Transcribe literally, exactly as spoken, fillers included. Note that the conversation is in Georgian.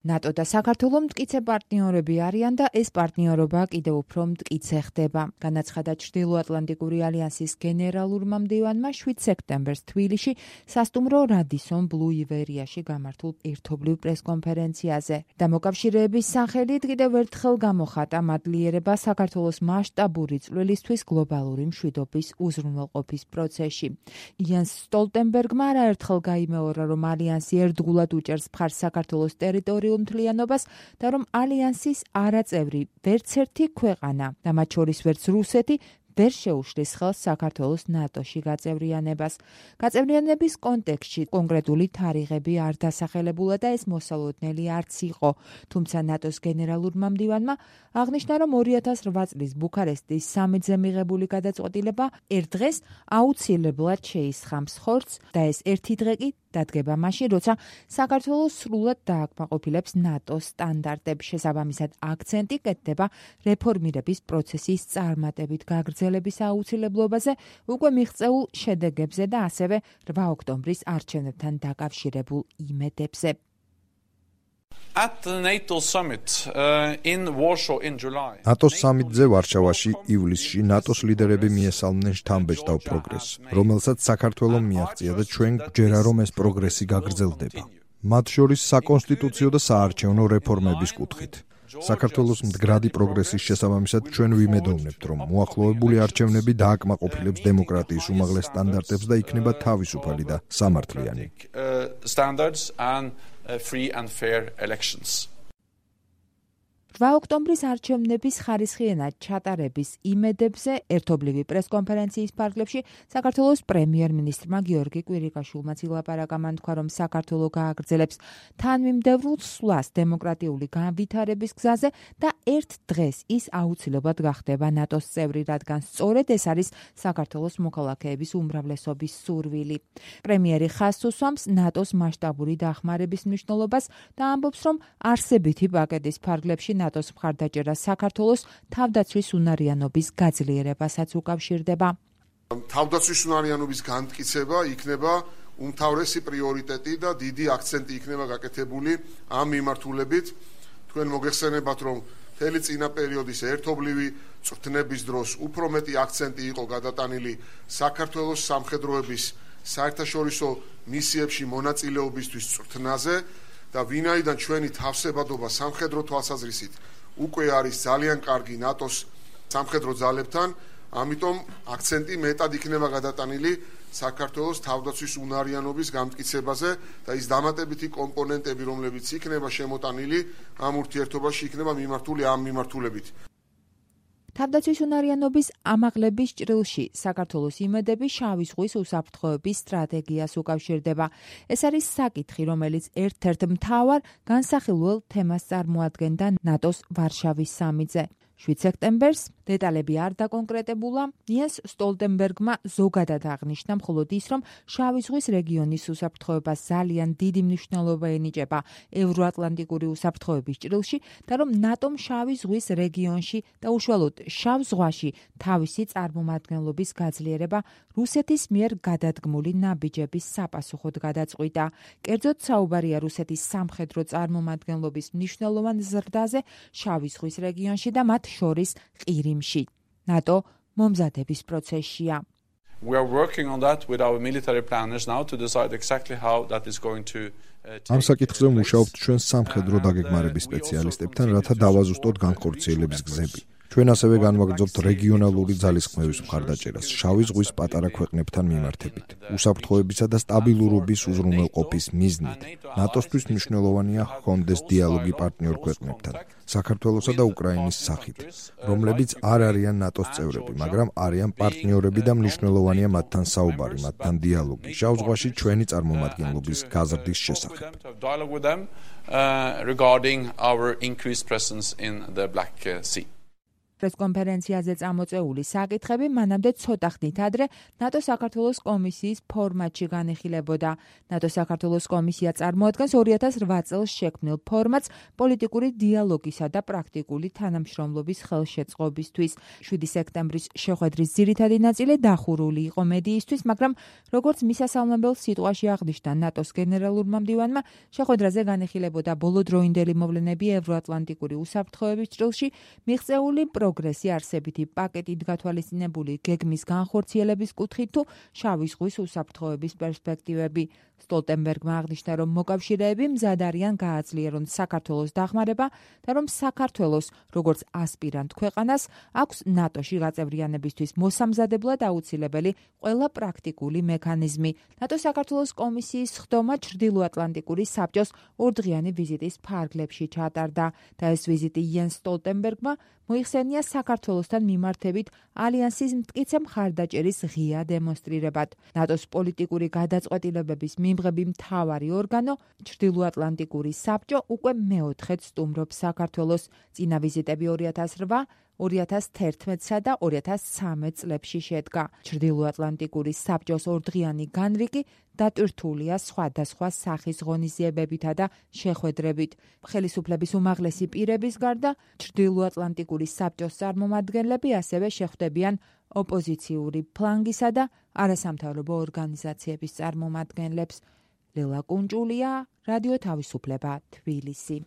ნატო და საქართველო მტკიცე პარტნიორები არიან და ეს პარტნიორობა კიდევ უფრო მტკიცე ხდება. განაცხადა ჩრდილოატლანტიკური ალიანსის გენერალურმა მდივანმა შვიდ სექტემბერს თბილისში სასტუმრო რადისონ ბლუ ივერიაში გამართულ ერთობლივ პრესკონფერენციაზე. დამოკავშირეების სახელით კიდევ ერთხელ გამოხატა მადლიერება საქართველოს მასშტაბური წვლილისთვის გლობალური მშვიდობის უზრუნველყოფის პროცესში. იანს სტოლტენბერგმა არაერთხელ გაიმეორა, რომ ალიანსი ერთგულად უჭერს მხარს საქართველოს ტერიტორიულ მთლიანობას და რომ ალიანსის არაწევრი ვერც ერთი ქვეყანა და მათ შორის ვერც რუსეთი ვერ შეუშლის ხელს საქართველოს ნატოში გაწევრიანებას. გაწევრიანების კონტექსტში კონკრეტული თარიღები არ დასახელებულა და ეს მოსალოდნელი არც იყო, თუმცა ნატოს გენერალურმა მდივანმა აღნიშნა, რომ ორი ათას რვა წლის ბუქარესტის სამიტზე მიღებული გადაწყვეტილება ერთ დღეს აუცილებლად შეისხამს ხორცს და ეს ერთი დღე კი დადგება მაშინ, როცა საქართველოს სრულად დააკმაყოფილებს ნატოს სტანდარტებს. შესაბამისად, აქცენტი კეთდება რეფორმირების პროცესის წარმატებით გაგრძელების აუცილებლობაზე, უკვე მიღწეულ შედეგებზე და ასევე რვა ოქტომბრის არჩევნებთან დაკავშირებულ იმედებზე. At the NATO summit uh, in Warsaw in July. ნატოს სამიტზე ვარშავაში ივლისში ნატოს ლიდერები მიესალმნენ შთამბეჭდავ პროგრესს, რომელსაც საქართველომ მიაღწია და ჩვენ გვჯერა, რომ ეს პროგრესი გაგრძელდება. მათ შორის საკონსტიტუციო და საარჩევნო რეფორმების კუთხით. საქართველოს მდგრადი პროგრესის შესაბამისად ჩვენ ვიმედოვნებთ, რომ მოახლოებული არჩევნები დააკმაყოფილებს დემოკრატიის უმაღლეს სტანდარტებს და იქნება თავისუფალი და სამართლიანი. Free and fair elections. რვა ოქტომბრის არჩევნების ხარისხიანად ჩატარების იმედებზე ერთობლივი პრესკონფერენციის ფარგლებში საქართველოს პრემიერ-მინისტრმა გიორგი კვირიკაშვილმაც ილაპარაკა. მან თქვა, რომ საქართველო გააგრძელებს თანმიმდევრულ სვლას დემოკრატიული განვითარების გზაზე და ერთ დღეს ის აუცილებლად გახდება ნატოს წევრი, რადგან სწორედ ეს არის საქართველოს მოქალაქეების უმრავლესობის სურვილი. პრემიერი ხაზს უსვამს ნატოს მასშტაბური დახმარების მნიშვნელობას და ამბობს, რომ არსებითი პაკეტის ფარგლებში ნატოს მხარდაჭერა საქართველოს თავდაცვის უნარიანობის გაძლიერებასაც უკავშირდება. თავდაცვის უნარიანობის განმტკიცება იქნება უმთავრესი პრიორიტეტი და დიდი აქცენტი იქნება გაკეთებული ამ მიმართულებით. თქვენ მოგეხსენებათ, რომ მთელი წინა პერიოდის ერთობლივი წვრთნების დროს უფრო მეტი აქცენტი იყო გადატანილი საქართველოს სამხედროების საერთაშორისო მისიებში მონაწილეობისთვის წვრთნაზე. და ვინაიდან ჩვენი თავსებადობა სამხედრო თვალსაზრისით უკვე არის ძალიან კარგი ნატოს სამხედრო ძალებთან, ამიტომ აქცენტი მეტად იქნება გადატანილი საქართველოს თავდაცვის უნარიანობის გამტკიცებაზე და ის დამატებითი კომპონენტები, რომლებიც იქნება შემოტანილი ამ ურთიერთობაში, იქნება მიმართული ამ მიმართულებით. თავდაცვის უნარიანობის ამაღლების ჭრილში საქართველოს იმედები შავი ზღვის უსაფრთხოების სტრატეგიას უკავშირდება. ეს არის საკითხი, რომელიც ერთ-ერთ მთავარ განსახილველ თემას წარმოადგენდა ნატოს ვარშავის სამიტზე. შვიდ სექტემბერს დეტალები არ დაკონკრეტებულა. იანს სტოლტენბერგმა ზოგადად აღნიშნა მხოლოდ ის, რომ შავი ზღვის რეგიონის უსაფრთხოებას ძალიან დიდი მნიშვნელობა ენიჭება ევროატლანტიკური უსაფრთხოების ჭრილში და რომ ნატომ შავი ზღვის რეგიონში და უშუალოდ შავ ზღვაში თავისი წარმომადგენლობის გაძლიერება რუსეთის მიერ გადადგმული ნაბიჯების sapasუხოდ გადაწყვიტა. კერძოდ საუბარია რუსეთის სამხედრო წარმომადგენლობის მნიშვნელოვან ზრდაზე შავი ზღვის რეგიონში და მათ შორის ყირიმში. ნატო მომზადების პროცესშია. We are working on that with our military planners now to decide exactly how that is going to ამ საკითხზე მუშაობთ ჩვენ სამხედრო დაგეგმარების სპეციალისტებთან, რათა დავაზუსტოთ განხორციელების გზები. ჩვენ ასევე განვაგრძობთ რეგიონალური ძალისხმევის მხარდაჭერას შავი ზღვის პატარა ქვეყნებთან მიმართებით. უსაფრთხოებისა და სტაბილურობის უზრუნველყოფის მიზნით ნატოსთვის მნიშვნელოვანია ჰქონდეს დიალოგი პარტნიორ ქვეყნებთან, საქართველოსა და უკრაინის სახით, რომლებიც არ არიან ნატოს წევრები, მაგრამ არიან პარტნიორები და მნიშვნელოვანია მათთან საუბარი, მათთან დიალოგი შავ ზღვაში ჩვენი წარმომადგენლობის გაზრდის შესახებ. regarding our increased presence in the Black Sea. პრესკონფერენციაზე წამოწეული საკითხები მანამდე ცოტა ხნით ადრე ნატო საქართველოს კომისიის ფორმატში განიხილებოდა. ნატო საქართველოს კომისია წარმოადგენს ორი ათას რვა წელს შექმნილ ფორმატს პოლიტიკური დიალოგისა და პრაქტიკული თანამშრომლობის ხელშეწყობისთვის. შვიდი სექტემბრის შეხვედრის ძირითადი ნაწილი დახურული იყო მედიისთვის, მაგრამ როგორც მისასალმებელ სიტყვაში აღნიშნა ნატოს გენერალურმა მდივანმა, შეხვედრაზე განიხილებოდა ბოლოდროინდელი მოვლენები ევროატლანტიკური უსაფრთხოების ჭრილში, მიღწეული პროგრესი არსებითი პაკეტით გათვალისწინებული გეგმის განხორციელების კუთხით თუ შავი ზღვის უსაფრთხოების პერსპექტივები. სტოლტენბერგმა აღნიშნა, რომ მოკავშირეები მზად არიან გააძლიერონ საქართველოს დახმარება და რომ საქართველოს, როგორც ასპირანტ ქვეყანას, აქვს ნატოში გაწევრიანებისთვის მოსამზადებლად აუცილებელი ყველა პრაქტიკული მექანიზმი. ნატო საქართველოს კომისიის ხდომა ჩრდილოატლანტიკური საბჭოს ორდღიანი ვიზიტის ფარგლებში ჩატარდა და ეს ვიზიტი იენს სტოლტენბერგმა მოიხსენია საქართველოსთან მიმართებით ალიანსის მტკიცე მხარდაჭერის ღია დემონსტრირებად. ნატოს პოლიტიკური გადაწყვეტილებების მიმღები მთავარი ორგანო, ჩრდილოატლანტიკური საბჭო უკვე მეოთხედ სტუმრობს საქართველოს. წინა ვიზიტები ორი ათას რვა, ორი ათას თერთმეტსა და ორი ათას ცხრამეტ წლებში შედგა. ჩრდილოატლანტიკური საბჭოს ორდღიანი განრიგი დატვირთულია სხვადასხვა სახის ღონისძიებებითა და შეხვედრებით. ხელისუფლების უმაღლესი პირების გარდა, ჩრდილოატლანტიკური საბჭოს წარმომადგენლები ასევე შეხვდებიან ოპოზიციური ფლანგისა და არასამთავრობო ორგანიზაციების წარმომადგენლებს. ლელა კუნჭულია, რადიო თავისუფლება, თბილისი.